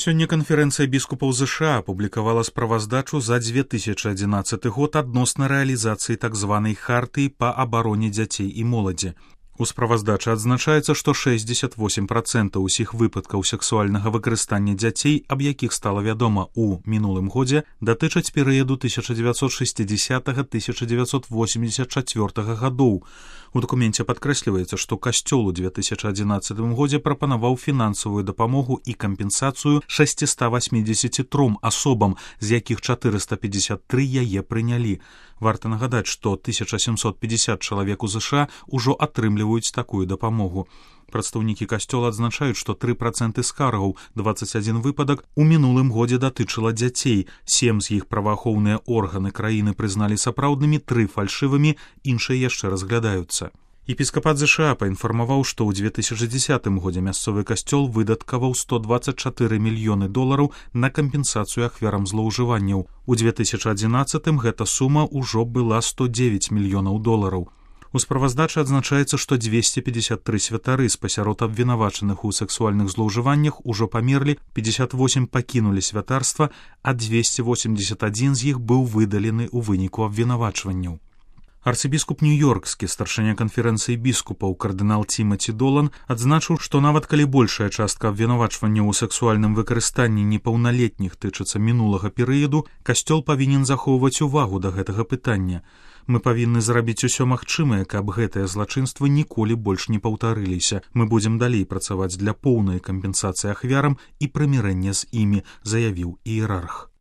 Сёння канферэнцыя біскупаў ЗША апублікавала справаздачу за 2011 год адносна рэалізацыі так званай хартыі па абароне дзяцей і моладзі. У справаздачы адзначаецца, што 68% усіх выпадкаў сексуальнага выкарыстання дзяцей, аб якіх стала вядома ў мінулым годзе, датычаць перыяду 1960-1984 гадоў. У дакуменце падкрэсліваецца, што Касцёл у 2011 годзе прапанаваў фінансавую дапамогу і кампенсацыю 683 асобам, з якіх 453 яе прынялі. Варта нагадаць, што 1750 чалавек у ЗША ўжо атрымліваюць такую дапамогу. Прадстаўнікі Касцёла адзначаюць, што 3% скаргаў, 21 выпадак, у мінулым годзе датычыла дзяцей. 7 з іх праваахоўныя органы краіны прызналі сапраўднымі, 3 фальшывымі, іншыя яшчэ разглядаюцца. Епіскапат ЗША паінфармаваў, што ў 2010 годзе мясцовы касцёл выдаткаваў $124 мільёны на кампенсацыю ахвярам злоўжыванняў. У 2011 гэта сума ўжо была $109 мільёнаў. У справаздачы адзначаецца, што 253 святары з пасярод абвінавачаных у сексуальных злоўжываннях ужо памерлі, 58 пакінулі святарства, а 281 з іх быў выдалены ў выніку абвінавачванняў. Арцыбіскуп Нью-Йоркскі, старшыня канферэнцыі біскупаў кардынал Тимаці Долан, адзначыў, што нават калі большая частка абвінавачванняў у сексуальным выкарыстанні непаўналетніх тычыцца мінулага перыяду, Касцёл павінен захоўваць увагу да гэтага пытання. Мы павінны зрабіць усё магчымае, каб гэтыя злачынствы ніколі больш не паўтарыліся. Мы будзем далей працаваць для поўнай кампенсацыі ахвярам і прымірэння з імі, заявіў іерарх.